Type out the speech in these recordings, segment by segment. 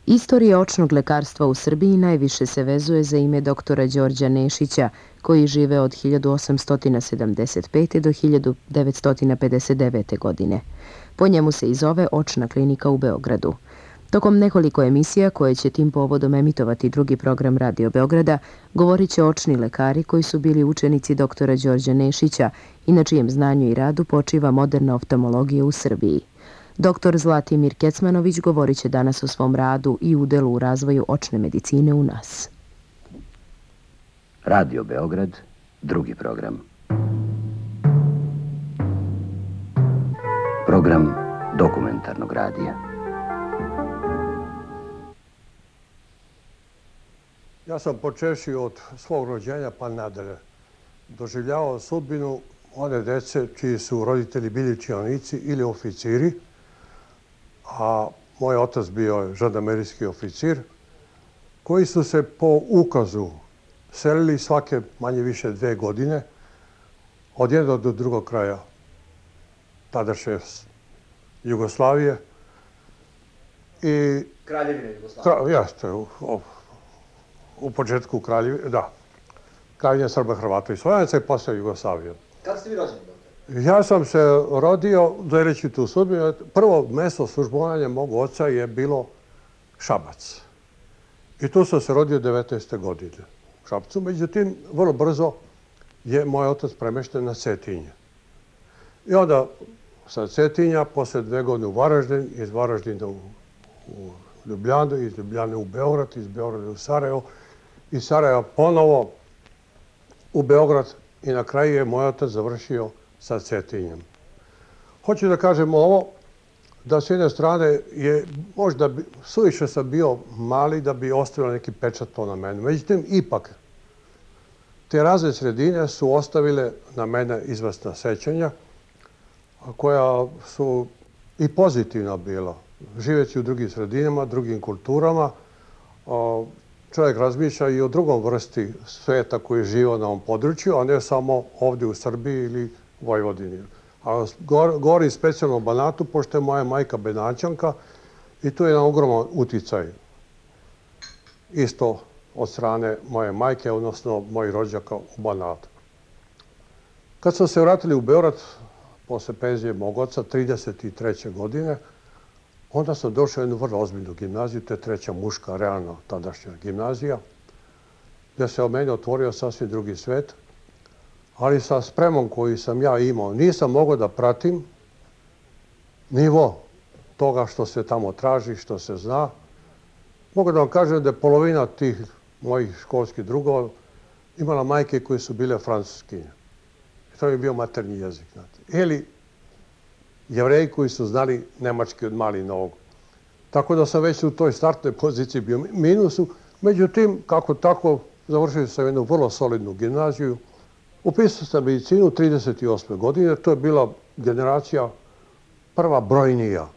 Istorija očnog lekarstva u Srbiji najviše se vezuje za ime doktora Đorđa Nešića, koji žive od 1875. do 1959. godine. Po njemu se i zove Očna klinika u Beogradu. Tokom nekoliko emisija koje će tim povodom emitovati drugi program Radio Beograda, govorit će očni lekari koji su bili učenici doktora Đorđa Nešića i na čijem znanju i radu počiva moderna oftalmologija u Srbiji. Doktor Zlatimir Kecmanović govorit će danas o svom radu i udelu u razvoju očne medicine u nas. Radio Beograd, drugi program. Program dokumentarnog radija. Ja sam počevši od svog rođenja pa nadalje doživljavao sudbinu one dece čiji su roditelji bili činovnici ili oficiri, a moj otac bio žandarmerijski oficir, koji su se po ukazu selili svake manje više 2 godine od jednog do drugog kraja tadašnje Jugoslavije. Kraljevine Jugoslavije. Jeste, u početku Kraljevine Srba, Hrvata i Slovenaca i posle Jugoslavije. Kada ste vi rođeni, doktor? Ja sam se rodio, deleći tu sudbinu, prvo mesto službovanja mog oca je bilo Šabac. I tu sam se rodio 19. godine u Šapcu. Međutim, vrlo brzo je moj otac premešten na Cetinje. I onda sa Cetinja, posle 2 godine u Varaždin, iz Varaždina u Ljubljanu, iz Ljubljane u Beograd, iz Beograda u Sarajevo, iz Sarajeva ponovo u Beograd i na kraju je moj otac završio sa Cetinjem. Hoću da kažem ovo, da s jedne strane je možda suviše sam bio mali da bi ostavio neki pečat to na mene. Međutim, ipak, te razne sredine su ostavile na mene izvesna sećanja, koja su i pozitivna bila. Živeći u drugim sredinama, drugim kulturama, čovjek razmišlja i o drugom vrsti sveta koji je živio na ovom području, a ne samo ovdje u Srbiji ili Vojvodini. A govorim specijalno o Banatu, pošto je moja majka Benaćanka i tu je jedan ogroman uticaj. Isto od strane moje majke, odnosno mojih rođaka u Banatu. Kad smo se vratili u Beograd, posle penzije mog oca, 33. godine, onda sam došao u jednu vrlo ozbiljnu gimnaziju, to je 3. muška, realna tadašnja gimnazija, gdje se o meni otvorio sasvim drugi svet, ali sa spremom koju sam ja imao nisam mogao da pratim nivo toga što se tamo traži, što se zna. Mogu da vam kažem da je polovina tih mojih školskih drugova imala majke koje su bile francuskinje. To je bio maternji jezik. Ili Jevreji koji su znali nemački od malih nogu. Tako da sam već u toj startnoj poziciji bio minusu. Međutim, kako tako, završio sam jednu vrlo solidnu gimnaziju. Upisao sam medicinu 38. godine. To je bila generacija prva brojnija.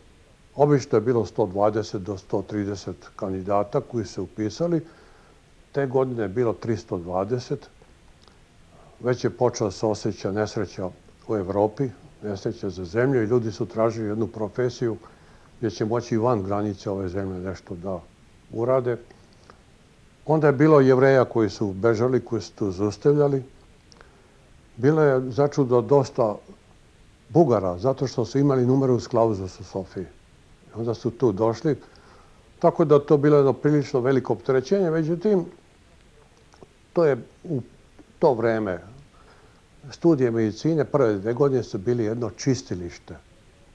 Obično je bilo 120 do 130 kandidata koji se upisali. Te godine je bilo 320. Već je počela se osjeća nesreća u Evropi, nesreća za zemlju i ljudi su tražili jednu profesiju gdje će moći i van granice ove zemlje nešto da urade. Onda je bilo Jevreja koji su bežali, koji su tu zaustavljali. Bilo je začudo dosta Bugara, zato što su imali numerus clausus u Sofiji. Onda su tu došli, tako da to bilo jedno prilično veliko opterećenje. Međutim, to je u to vreme studije medicine, prve 2 godine su bili jedno čistilište.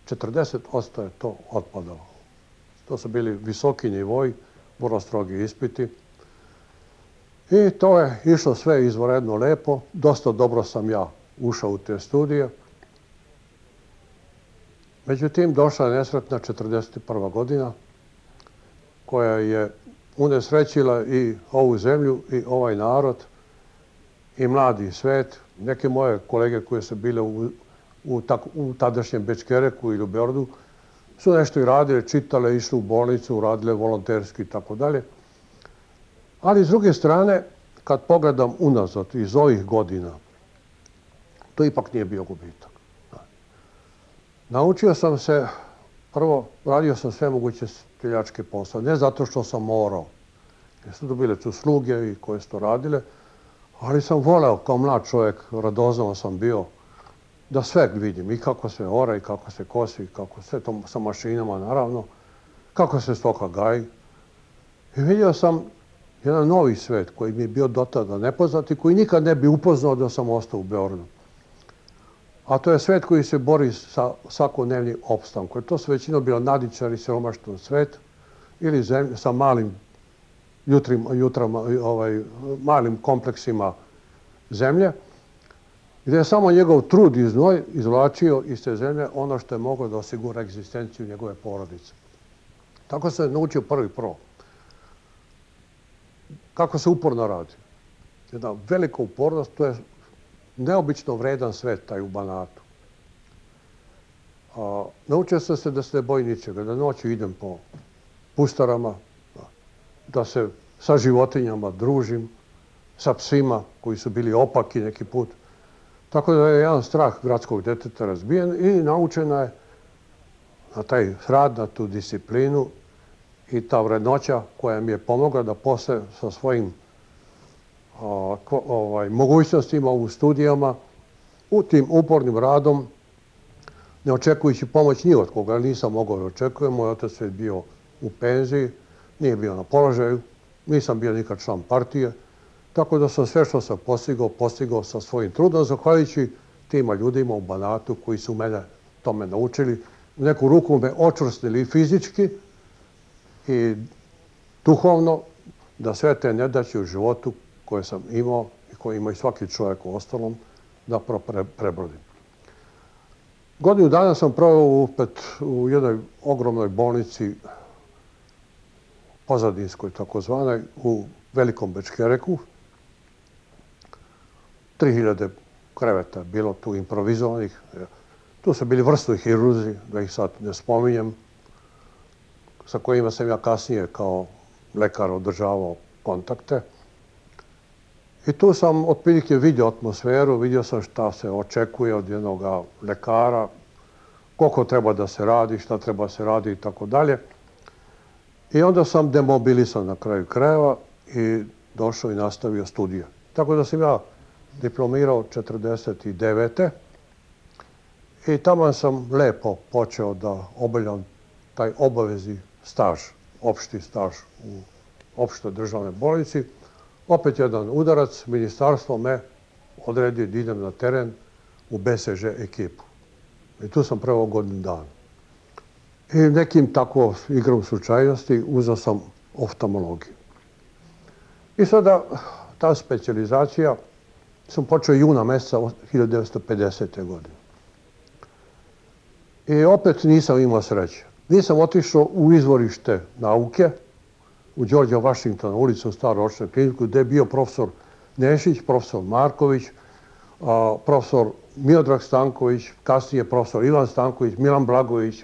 40% je to otpadalo. To su bili visoki nivoi, vrlo strogi ispiti. I to je išlo sve izvanredno lepo. Dosta dobro sam ja ušao u te studije. Međutim, došla je nesretna 41. godina koja je unesrećila i ovu zemlju i ovaj narod i mladi svet. Neke moje kolege koje su bile u tadašnjem Bečkereku ili u Beogradu su nešto i radile, čitale, išli u bolnicu, radile volonterski i tako dalje. Ali s druge strane, kad pogledam unazad iz ovih godina, to ipak nije bio gubitak. Naučio sam se Prvo, radio sam sve moguće streljačke poslove, ne zato što sam morao. Jer su to bile tu sluge i koje su to radile, ali sam voleo kao mlad čovjek, radoznao sam bio, da sve vidim, i kako se ora, i kako se kosi, kako sve to sa mašinama, naravno, kako se stoka gaji. I vidio sam jedan novi svet koji mi je bio do tada nepoznat i koji nikad ne bi upoznao da sam ostao u Beogradu. A to je svet koji se bori sa svakodnevnim opstankom. To su većino bilo nadičari, siromaštan svet ili sa malim malim kompleksima zemlje, gdje je samo njegov trud i znoj izvlačio iz te zemlje ono što je moglo da osigura egzistenciju njegove porodice. Tako se naučio prvi pro. Kako se uporno radi. Jedna velika upornost, to je neobično vredan svet, taj u Banatu. Naučio sam se da se ne boji ničega, da noću idem po pustarama, da se sa životinjama družim, sa psima koji su bili opaki neki put. Tako da je jedan strah gradskog deteta razbijen i naučena je na taj rad, na tu disciplinu i ta vrednoća koja mi je pomogla da posle sa svojim mogućnostima u studijama, u tim upornim radom, ne očekujući pomoć ni od koga, nisam mogao da očekujem. Moj otac je bio u penziji, nije bio na položaju, nisam bio nikad član partije, tako da sam sve što sam postigao sa svojim trudom, zahvaljujući tima ljudima u Banatu koji su mene tome naučili. U neku ruku me očvrstili i fizički i duhovno, da sve te nedaće u životu koje sam imao i koje ima i svaki čovjek u ostalom, da prebrodim. Godinu dana sam proveo u jednoj ogromnoj bolnici, pozadinskoj takozvanoj, u Velikom Bečkereku. 3000 kreveta je bilo tu improvizovanih. Tu su bili vrsni hirurzi, da ih sad ne spominjem, sa kojima sam ja kasnije kao lekar održavao kontakte. I tu sam otprilike vidio atmosferu, vidio sam šta se očekuje od jednog lekara, koliko treba da se radi, šta treba se radi i tako dalje. I onda sam demobilisan na kraju krajeva i došao i nastavio studije. Tako da sam ja diplomirao 49. I tamo sam lepo počeo da obavljam taj obavezni staž, opšti staž u opštoj državnoj bolnici. Opet jedan udarac, ministarstvo me odredi da idem na teren u BSŽ ekipu. I tu sam prvo godinu dana. I nekim tako igrom slučajnosti uzeo sam oftalmologiju. I sada ta specijalizacija sam počeo juna meseca 1950. godine. I opet nisam imao sreće. Nisam otišao u izvorište nauke, u Đorđa Vašingtona ulicu, u Staru očnu kliniku, gde je bio profesor Nešić, profesor Marković, profesor Miodrag Stanković, kasnije profesor Ivan Stanković, Milan Blagović,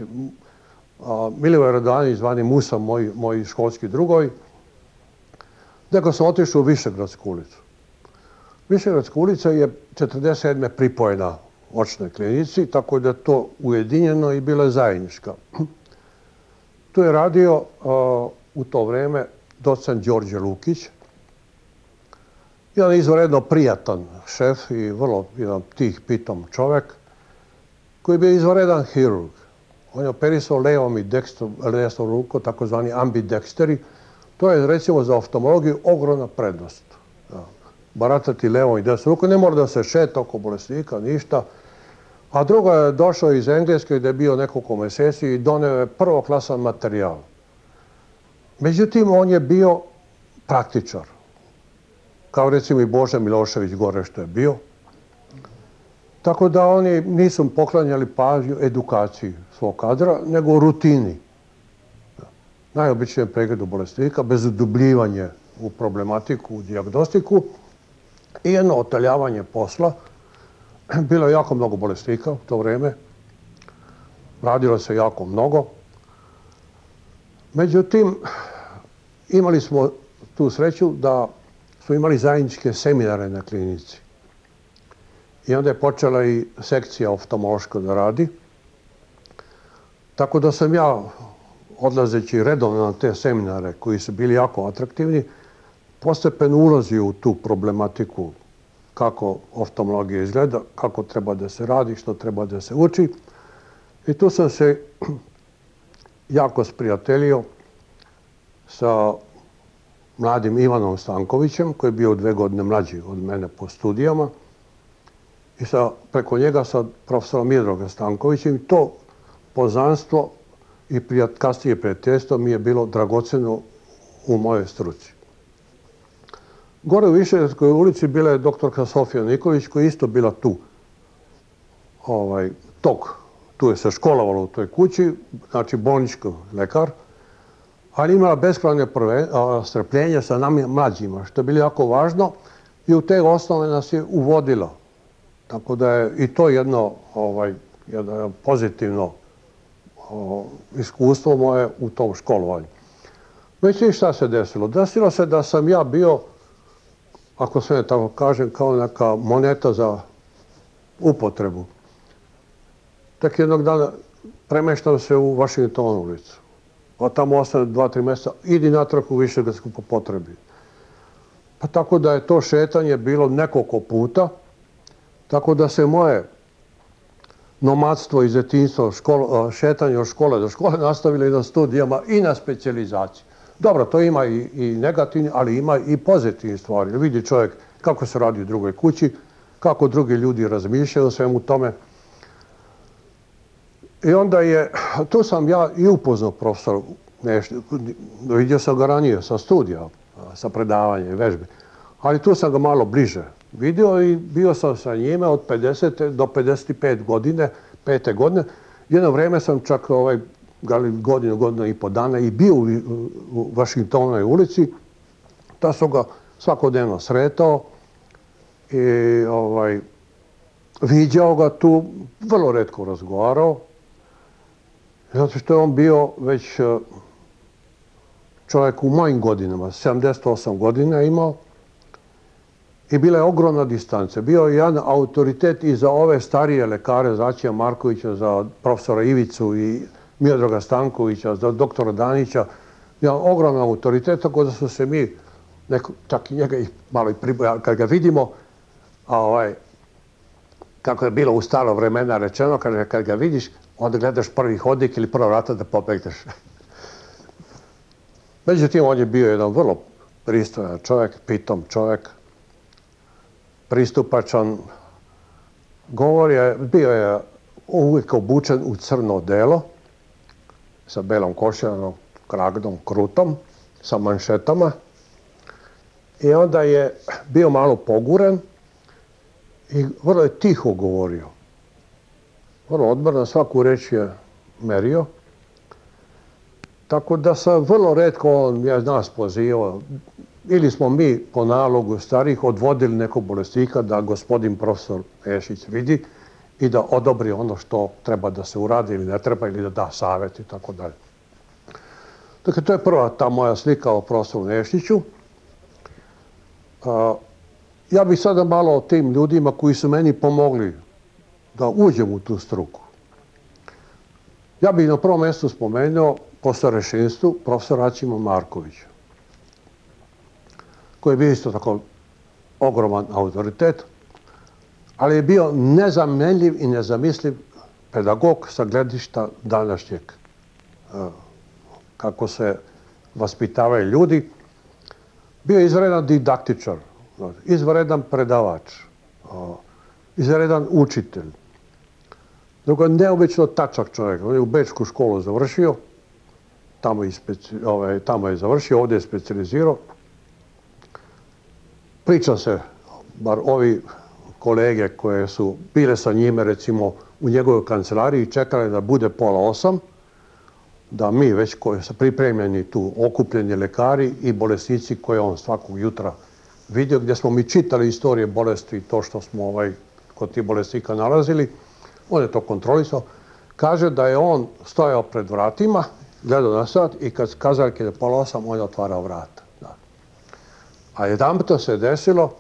Milivoj Radovanović, zvani Musa, moji školski drugovi. Nego sam otišao u Višegradsku ulicu. Višegradska ulica je 1947. pripojena očnoj klinici, tako da je to ujedinjeno i bila je zajednička. Tu je radio u to vreme docent Đorđe Lukić, jedan izvanredno prijatan šef i vrlo jedan tih pitom čovek, koji je bio izvanredan hirurg. On je operisao levom i desnom rukom, takozvani ambidexteri. To je, recimo, za oftalmologiju ogromna prednost. Baratati levom i desnom rukom, ne mora da se šeta oko bolesnika, ništa. A drugo je došao iz Engleske gde je bio nekoliko meseci i doneo je prvoklasan materijal. Međutim, on je bio praktičar. Kao recimo i Bože Milošević gore što je bio. Tako da oni nisu poklanjali pažnju edukaciji svog kadra, nego rutini. Najobičnijem pregledu bolesnika, bez udubljivanje u problematiku, u dijagnostiku i jedno otaljavanje posla. Bilo je jako mnogo bolesnika u to vreme. Radilo se jako mnogo. Međutim, imali smo tu sreću da smo imali zajedničke seminare na klinici. I onda je počela i sekcija oftalmološka da radi. Tako da sam ja, odlazeći redovno na te seminare koji su bili jako atraktivni, postepeno ulazio u tu problematiku kako oftalmologija izgleda, kako treba da se radi, što treba da se uči. I tu sam se jako sprijateljio sa mladim Ivanom Stankovićem, koji je bio 2 godine mlađi od mene po studijama, i preko njega sa profesorom Miodragom Stankovićem. I to poznanstvo i kasnije prijateljstvo mi je bilo dragoceno u mojoj struci. Gore u Višegrádskoj ulici bila je doktorka Sofija Nikolić, koja je isto bila tu. Tu je se školovala u toj kući, znači bolnički lekar, ali imala beskrajne strpljenje sa nami mlađima, što je bilo jako važno i u te osnove nas je uvodila. Tako da je i to jedno pozitivno iskustvo moje u tom školovanju. Međutim, šta se desilo? Desilo se da sam ja bio, ako sve tako kažem, kao neka moneta za upotrebu. Tek jednog dana premeštam se u Vašingtonu ulicu. A tamo ostane 2-3 mjeseca, idi natrag u Višegradsku po potrebi. Pa tako da je to šetanje bilo nekoliko puta, tako da se moje nomadstvo iz djetinjstva, šetanje od škole do škole nastavilo i na studijama i na specijalizaciji. Dobro, to ima i negativni, ali ima i pozitivni stvari. Vidi čovjek kako se radi u drugoj kući, kako drugi ljudi razmišljaju o svemu tome. I onda tu sam ja i upoznao profesora Nešića, vidio sam ga ranije sa studija, sa predavanja i vežbe, ali tu sam ga malo bliže vidio i bio sam sa njime od 50. do 55 godine, 5. godine. Jedno vrijeme sam čak godinu i po dana i bio u Vašingtonovoj ulici. Ta sam ga svakodnevno sretao i viđao ga tu, vrlo retko razgovarao. Zato što je on bio već čovjek u mojim godinama, 78 godina imao i bila je ogromna distanca. Bio je jedan autoritet i za ove starije lekare, za Aćija Markovića, za profesora Ivicu i Miodraga Stankovića, za doktora Danića. Jedan ogroman autoritet, tako da su se mi, čak i njega malo i pribojali, kad ga vidimo, kako je bilo u staro vremena rečeno, kad ga vidiš, onda gledaš prvi hodnik ili prva vrata da pobegneš. Međutim, on je bio jedan vrlo pristojan čovjek, pitom čovjek, pristupačan. Bio je uvijek obučen u crno odelo, sa belom košiljanom kragdom, krutom, sa manšetama. I onda je bio malo poguren i vrlo je tiho govorio. Vrlo odmorno, svaku reč je merio. Tako da sam vrlo retko nas pozivao. Ili smo mi po nalogu starih odvodili nekog bolesnika da gospodin profesor Nešić vidi i da odobri ono što treba da se uradi ili ne treba ili da da savjet i tako dalje. Dakle, to je prva ta moja slika o profesoru Nešiću. Ja bih sada malo o tim ljudima koji su meni pomogli da uđem u tu struku. Ja bih na prvom mjestu spomenuo po starešinstvu profesora Aćima Markovića, koji je bio isto tako ogroman autoritet, ali je bio nezamenljiv i nezamisliv pedagog sa gledišta današnjeg, kako se vaspitavaju ljudi. Bio je izvanredan didaktičar, izvanredan predavač, izvanredan učitelj. Drugo, neobično tačak čovjek. On je u Bečku školu završio, tamo je završio, ovdje je specijalizirao. Priča se, bar ovi kolege koje su bile sa njime, recimo, u njegovoj kancelariji, čekali da bude 7:30, da mi već koji su pripremljeni tu, okupljeni lekari i bolesnici koje on svakog jutra vidio, gdje smo mi čitali istorije bolesti i to što smo kod tih bolesnika nalazili. On je to kontrolisao. Kaže da je on stojao pred vratima, gledao na sat i kad kazaljke je 7:30, on je otvarao vrata. A jedanputa se desilo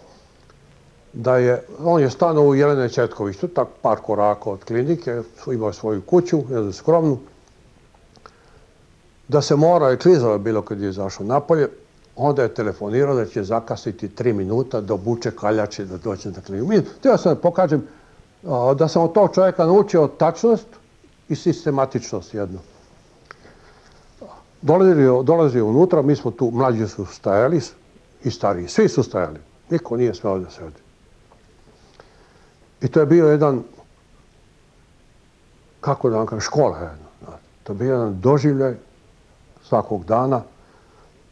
da on je stanuo u Jelene Četković, tu tak par koraka od klinike, imao svoju kuću, jednu skromnu, da se mora, i klizalo je bilo kad je izašao napolje, onda je telefonirao da će zakasniti 3 minuta da obuče kaljače da dođe na kliniku. Htio sam da pokažem da sam od tog čovjeka naučio tačnost i sistematičnost jednu. Dolazio unutra, mi smo tu, mlađi su stajali i stariji, svi su stajali. Niko nije smeo da sedi. I to je bio jedan, kako da vam kažem, škola jedna. To je bio jedan doživljaj svakog dana.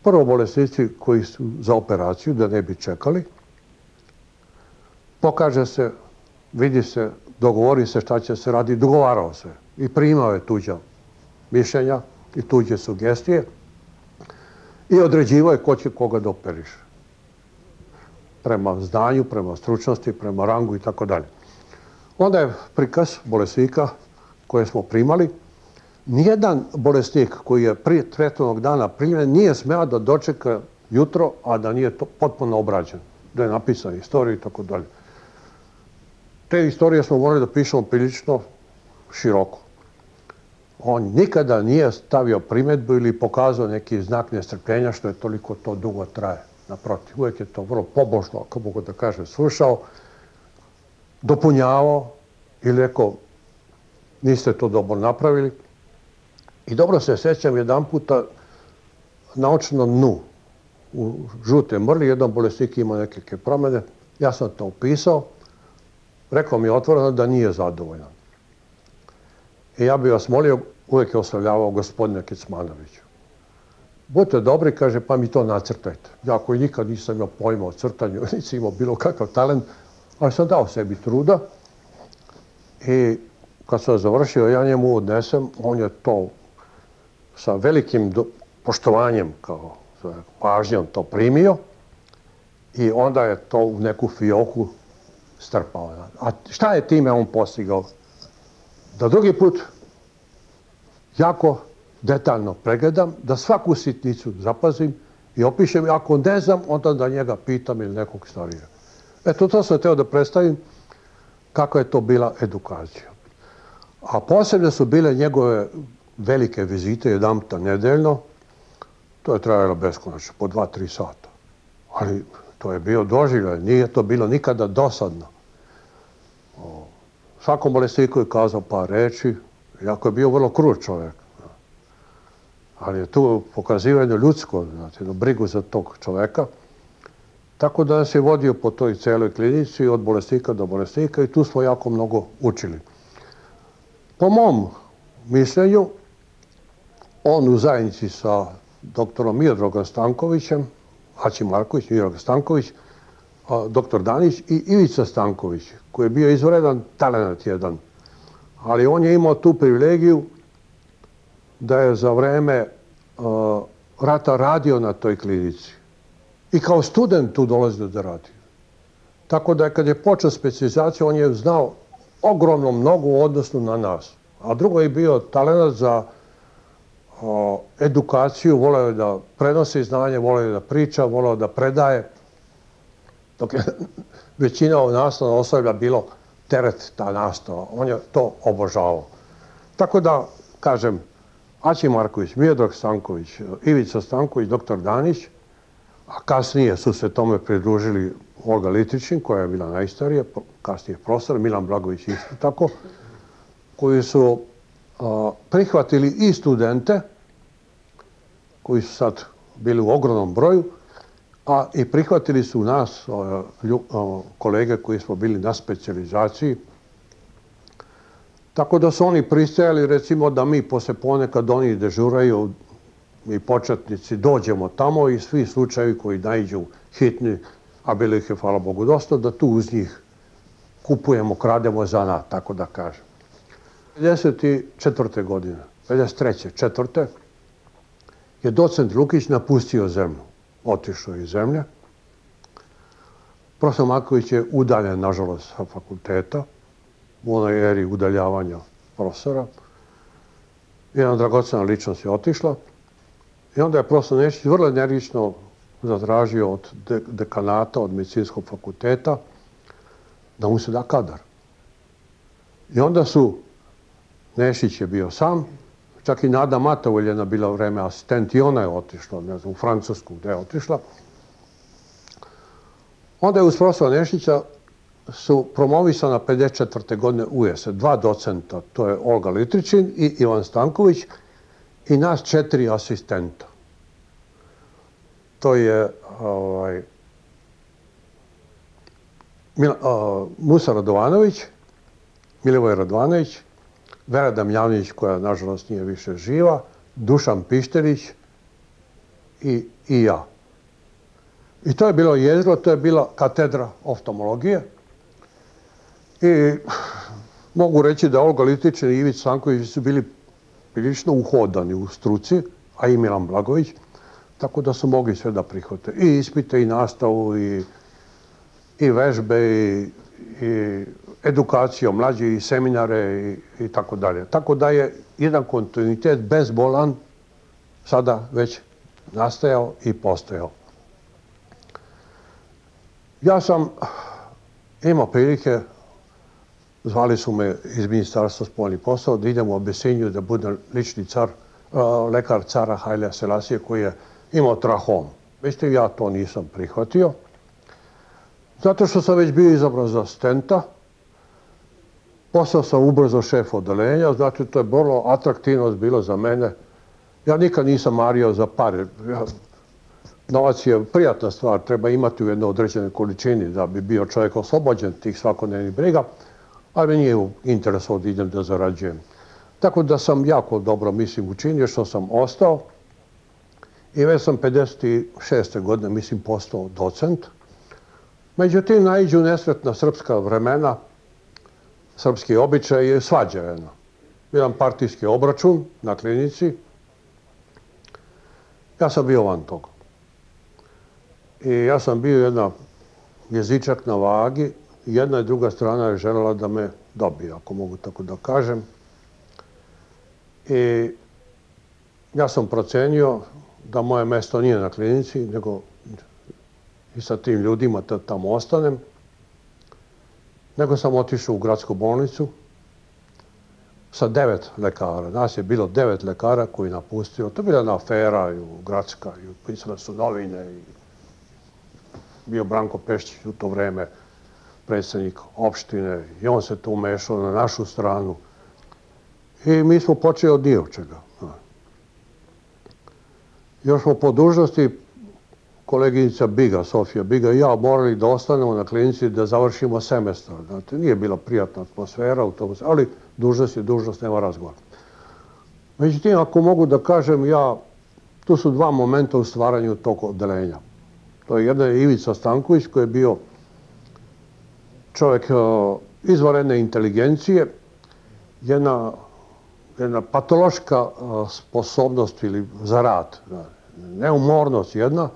Prvo bolesnici koji su za operaciju, da ne bi čekali. Pokaže se, vidi se, dogovori se šta će se radi, dogovarao se. I primao je tuđa mišljenja i tuđe sugestije. I određivao je ko će koga da operiše. Prema znanju, prema stručnosti, prema rangu i tako dalje. Onda je prikaz bolesnika koje smo primali. Nijedan bolesnik koji je prije tretmanog dana primljen nije smeo da dočeka jutro, a da nije to potpuno obrađen. Da je napisana istorija i tako dalje. Te istorije smo morali da pišemo prilično široko. On nikada nije stavio primjedbu ili pokazao neki znak nestrpljenja što je toliko to dugo traje. Naprotiv, uvijek je to vrlo pobožno, ako mogu da kažem, slušao, dopunjavao ili rekao niste to dobro napravili. I dobro se sjećam jedan puta na očnom dnu u žute mrli, jedan bolesnik ima neke promjene, ja sam to opisao, rekao mi je otvoreno da nije zadovoljan. I ja bih vas molio, uvijek je oslavljavao gospodina Kecmanovića. Budite dobri, kaže, pa mi to nacrtajte. Ja koji nikad nisam imao pojma o crtanju, nisam imao bilo kakav talent, ali sam dao sebi truda. I kad sam završio, ja njemu odnesem, on je to sa velikim poštovanjem, kao pažnjom to primio i onda je to u neku fioku strpao. A šta je time on postigao? Da drugi put jako detaljno pregledam, da svaku sitnicu zapazim i opišem. Ako ne znam, onda da njega pitam ili nekog starija. Eto, to sam htio da predstavim kako je to bila edukacija. A posebno su bile njegove velike vizite, jedan puta nedeljno. To je trajalo beskonačno, po 2-3 sata. Ali to je bio doživljaj, nije to bilo nikada dosadno. Svakom bolesniku je kazao par reči, iako je bio vrlo krut čovjek. Ali je tu pokazivanje ljudsko, znači, brigu za tog čovjeka. Tako da nas je vodio po toj celoj klinici, od bolesnika do bolesnika i tu smo jako mnogo učili. Po mom mišljenju, on u zajednici sa doktorom Miodrogom Stankovićem, Aći Marković, Miodrog Stanković, doktor Danić i Ivica Stanković, koji je bio izvredan talent jedan. Ali on je imao tu privilegiju da je za vreme rata radio na toj klinici. I kao student tu dolazio da radi. Tako da kad je počeo specijalizaciju, on je znao ogromno mnogo u odnosu na nas. A drugo je bio talent za edukaciju, voleo je da prenosi znanje, voleo je da priča, voleo da predaje. Dok je većina nastavnog osoblja bilo teret ta nastava. On je to obožavao. Tako da, kažem, Aći Marković, Miodrog Stanković, Ivica Stanković, doktor Danić, a kasnije su se tome pridružili Olga Litričin, koja je bila najstarija, kasnije profesor, Milan Blagović isto tako, koji su prihvatili i studente, koji su sad bili u ogromnom broju, a i prihvatili su nas, kolege koji smo bili na specijalizaciji. Tako da su oni pristajali, recimo, da mi posle ponekad oni dežuraju i početnici dođemo tamo i svi slučajevi koji naiđu hitni, a bilo ih je, hvala Bogu, dosta, da tu uz njih kupujemo, krademo zanat, tako da kažem. 54. godine, 53. 4. je docent Lukić napustio zemlju, otišao iz zemlje. Profesor Marković je udaljen, nažalost, sa fakulteta, u onoj eri udaljavanja profesora. Jedna dragocena ličnost je otišla i onda je profesor Nešić vrlo energično zatražio od dekanata, od medicinskog fakulteta, da mu se da kadar. I onda su, Nešić je bio sam, čak i Nada Matovoljena bila vreme asistent i ona je otišla, ne znam, u Francusku gde je otišla. Onda je uz profesora Nešića su promovisana 54. godine ujese, 2 docenta, to je Olga Litričin i Ivan Stanković i nas 4 asistenta. To je Musa Radovanović, Milivoj Radovanović, Vera Damjanović, koja nažalost nije više živa, Dušan Pišterić i ja. I to je bilo jezgro, to je bila katedra oftalmologije. I mogu reći da Olga Litričin i Ivica Stanković su bili prilično uhodani u struci, a i Milan Blagović, tako da su mogli sve da prihvate. I ispite, i nastavu, i vežbe, i edukaciju mlađi, i seminare, i tako dalje. Tako da je jedan kontinuitet bezbolan sada već nastajao i postojao. Ja sam imao prilike, zvali su me iz Ministarstva spoljnih poslova, da idem u Abesiniju da budem lični lekar cara Hailea Selasija koji je imao trahom. Međutim, ja to nisam prihvatio, zato što sam već bio izabran za asistenta. Postao sam ubrzo šef odeljenja, znači to je vrlo atraktivno bilo za mene. Ja nikad nisam mario za pare. Novac je prijatna stvar, treba imati u jednoj određenoj količini da bi bio čovjek oslobođen tih svakodnevnih briga, ali mi nije u interesu da idem da zarađujem. Tako da sam jako dobro, mislim, učinio što sam ostao i već sam 56. godine, mislim, postao docent. Međutim, naiđu nesretna srpska vremena, srpski običaj je svađa jedna. Jedan partijski obračun na klinici. Ja sam bio van toga. I ja sam bio jedan jezičak na vagi. Jedna i druga strana je željela da me dobije, ako mogu tako da kažem. I ja sam procenio da moje mesto nije na klinici, nego i sa tim ljudima da tamo ostanem. Nego sam otišao u gradsku bolnicu sa 9 lekara. Nas je bilo 9 lekara koji napustio. To je bila jedna afera gradska. Pisale su novine. Bio Branko Pešić u to vreme predsjednik opštine i on se tu umešao na našu stranu. I mi smo počeli od nije čega. Još smo po dužnosti koleginica Biga, Sofija Biga i ja morali da ostanemo na klinici da završimo semestar. Znate, nije bila prijatna atmosfera u tom, ali dužnost je dužnost, nema razgovora. Međutim, ako mogu da kažem, tu su 2 momenta u stvaranju tog odeljenja. To je jedan je Ivica Stanković koji je bio čovjek izvanredne inteligencije, jedna patološka sposobnost ili za rad, neumornost jedna,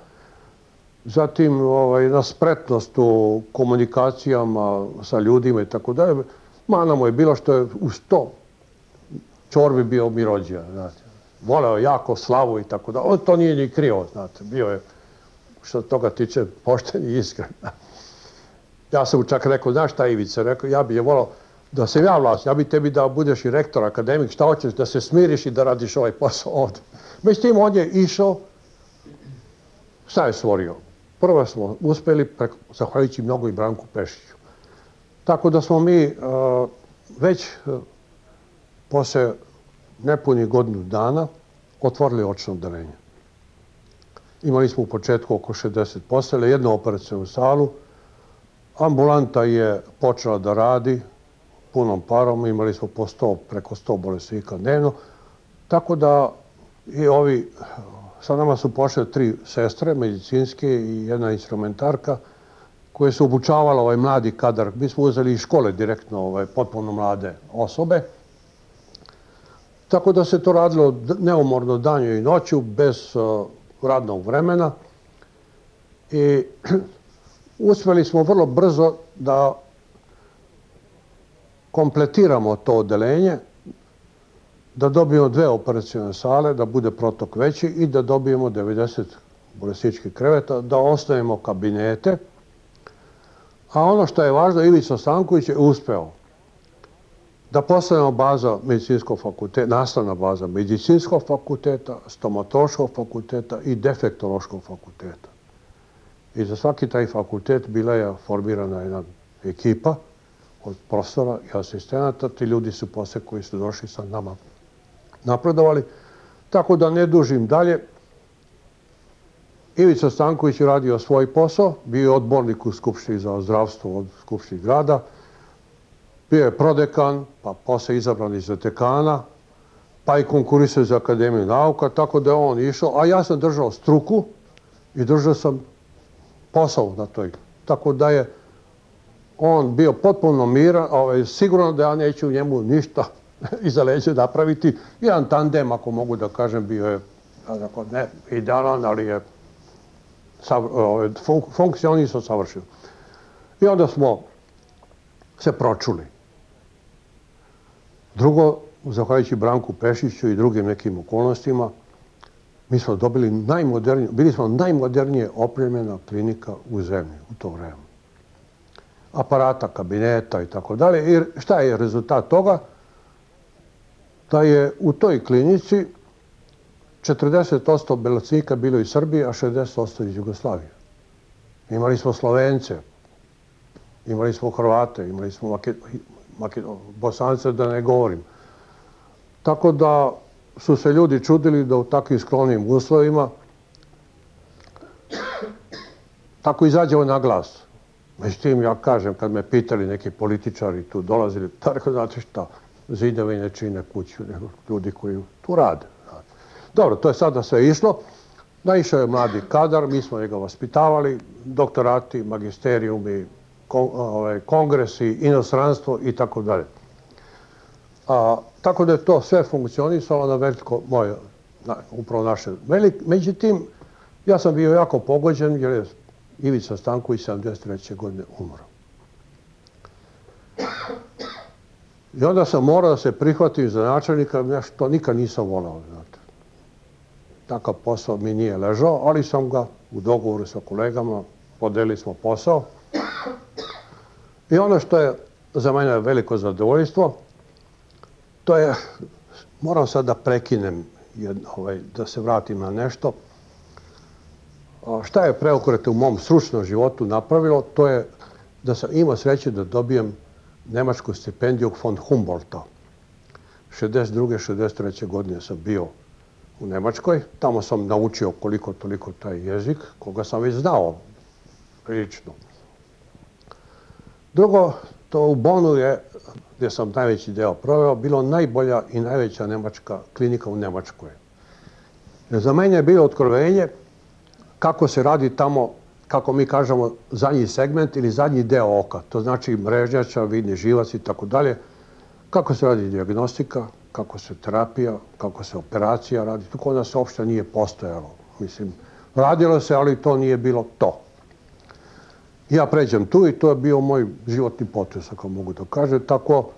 zatim jedna spretnost u komunikacijama sa ljudima i tako dalje. Mana mu je bilo što je uz to čorbi bio mirođija, znate. Voleo jako slavu i tako dalje. On to nije ni krio, znate. Bio je, što toga tiče, pošten i iskren. Ja sam mu čak rekao, znaš šta Ivica, rekao, ja bih je volao da se ja vlast, ja bih tebi da budeš i rektor, akademik, šta hoćeš, da se smiriš i da radiš ovaj posao ovdje. Međutim, on je išao, šta je stvorio? Prvo smo uspeli, zahvaljujući mnogo i Branku Pešiću. Tako da smo mi već posle nepunih godinu dana otvorili očno odeljenje. Imali smo u početku oko 60 postelja, jednu operacionu salu. Ambulanta je počela da radi punom parom, imali smo preko 100 bolesnika dnevno. Tako da i sa nama su pošle 3 sestre medicinske i jedna instrumentarka koje su obučavala ovaj mladi kadar. Mi smo uzeli iz škole direktno potpuno mlade osobe. Tako da se to radilo neumorno danju i noću, bez radnog vremena. I uspeli smo vrlo brzo da kompletiramo to odeljenje, da dobijemo 2 operacione sale, da bude protok veći i da dobijemo 90 bolesničkih kreveta, da ostavimo kabinete. A ono što je važno, Ivica Stanković je uspeo da postavimo baza medicinskog fakulteta, nastavna baza medicinskog fakulteta, stomatološkog fakulteta i defektološkog fakulteta. I za svaki taj fakultet bila je formirana jedna ekipa od profesora i asistenata. Ti ljudi su posle koji su došli sa nama napredovali. Tako da ne dužim dalje. Ivica Stanković je radio svoj posao, bio je odbornik u Skupštini za zdravstvo od Skupštine grada, bio je prodekan, pa posle izabran iz dekana, pa i konkurisao za Akademiju nauka, tako da je on išao, a ja sam držao struku i držao sam posao na toj. Tako da je on bio potpuno miran, sigurno da ja neću njemu ništa iza leđa napraviti. Jedan tandem, ako mogu da kažem, bio je ne idealan, ali je funkcionisao savršeno. I onda smo se pročuli. Drugo, zahvaljujući Branku Pešiću i drugim nekim okolnostima, mi smo dobili bili smo najmodernije opremljena klinika u zemlji u to vreme. Aparata, kabineta i tako dalje. I šta je rezultat toga? Da je u toj klinici 40% bolesnika bilo iz Srbije, a 60% iz Jugoslavije. Imali smo Slovence, imali smo Hrvate, imali smo Bosance, da ne govorim. Tako da su se ljudi čudili da u takvim skromnim uslovima tako izađemo na glas. Međutim, ja kažem, kad me pitali neki političari tu dolazili, tako znate šta, zidovi ne čine kuću, nego ljudi koji tu rade. Dobro, to je sada sve išlo. Naišao je mladi kadar, mi smo njega vaspitavali, doktorati, magisterijumi, kongresi, inostranstvo i tako dalje. Tako da je to sve funkcionisalo na veliko moje, upravo naše. Međutim, ja sam bio jako pogođen jer je Ivica Stanković 73. godine umro. I onda sam morao da se prihvatim za načelnika, nešto nikad nisam volao, znate. Takav posao mi nije ležao, ali sam ga u dogovoru sa kolegama, podelili smo posao. I ono što je za mene veliko zadovoljstvo, to je, moram sad da prekinem, da se vratim na nešto. Šta je preokret u mom stručnom životu napravilo, to je da sam imao sreće da dobijem nemačku stipendiju von Humboldta. 62. 63. godine sam bio u Nemačkoj. Tamo sam naučio koliko toliko taj jezik, koga sam već znao prilično. Drugo, to u Bonu je, gdje sam najveći deo proveo, bilo najbolja i najveća nemačka klinika u Nemačkoj. Za mene je bilo otkrovenje kako se radi tamo, kako mi kažemo, zadnji segment ili zadnji deo oka. To znači mrežnjača, vidni živac i tako dalje. Kako se radi dijagnostika, kako se terapija, kako se operacija radi. To kod nas uopšte nije postojalo. Mislim, radilo se, ali to nije bilo to. Ja pređem tu i to je bio moj životni potez, ako mogu da kažem. Tako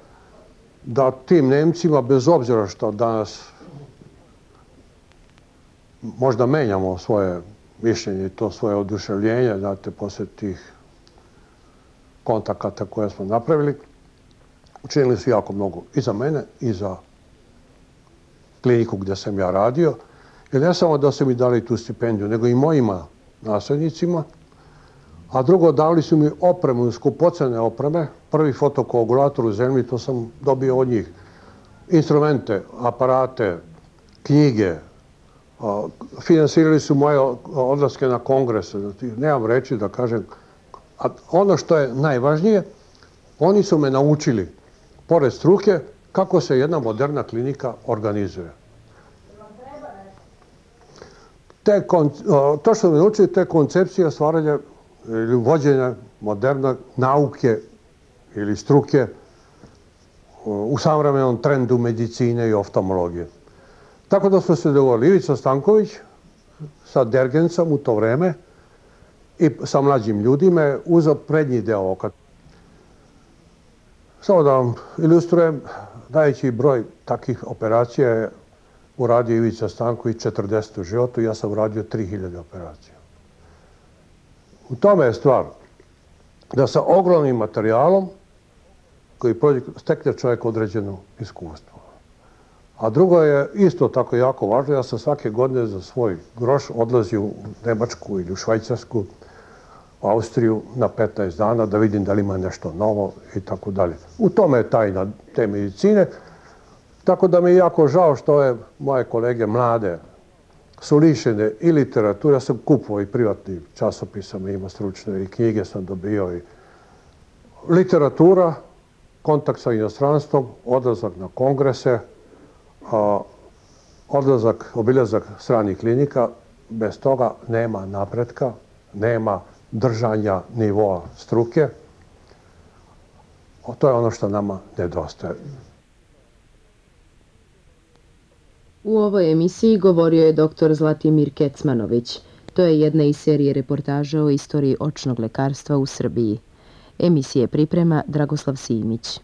da tim Nemcima, bez obzira što danas možda menjamo svoje mišljenje i to svoje oduševljenje, znate, posle tih kontakata koje smo napravili, učinili su jako mnogo i za mene i za kliniku gdje sam ja radio. Jer ne samo da su mi dali tu stipendiju, nego i mojima naslednicima. A drugo, dali su mi opremu, skupocene opreme. Prvi fotokoagulator u zemlji, to sam dobio od njih. Instrumente, aparate, knjige. Finansirali su moje odlaske na kongrese. Nemam reći da kažem. A ono što je najvažnije, oni su me naučili, pored struke, kako se jedna moderna klinika organizuje. To što me naučili, te koncepcije stvaranja ili vođenja moderne nauke ili struke u savremenom trendu medicine i oftalmologije. Tako da smo se dogovorili Ivica Stanković sa Dergencom u to vreme i sa mlađim ljudima je uzeo prednji deo oka. Samo da vam ilustrujem, najveći broj takvih operacija je uradio Ivica Stanković 40 u životu, ja sam uradio 3000 operacija. U tome je stvar da sa ogromnim materijalom, koji stekne čovjek određeno iskustvo. A drugo je isto tako jako važno, ja sam svake godine za svoj groš odlazio u Nemačku ili u Švajcarsku, u Austriju na 15 dana da vidim da li ima nešto novo i tako dalje. U tome je tajna te medicine, tako da mi je jako žao što je moje kolege mlade su lišene i literature. Ja sam kupovao i privatni časopisa, ima stručne i knjige sam dobio i literatura, kontakt sa inostranstvom, odlazak na kongrese, obilazak stranih klinika. Bez toga nema napretka, nema držanja nivoa struke. To je ono što nama nedostaje. U ovoj emisiji govorio je dr. Zlatimir Kecmanović. To je jedna iz serije reportaža o istoriji očnog lekarstva u Srbiji. Emisije priprema Dragoslav Simić.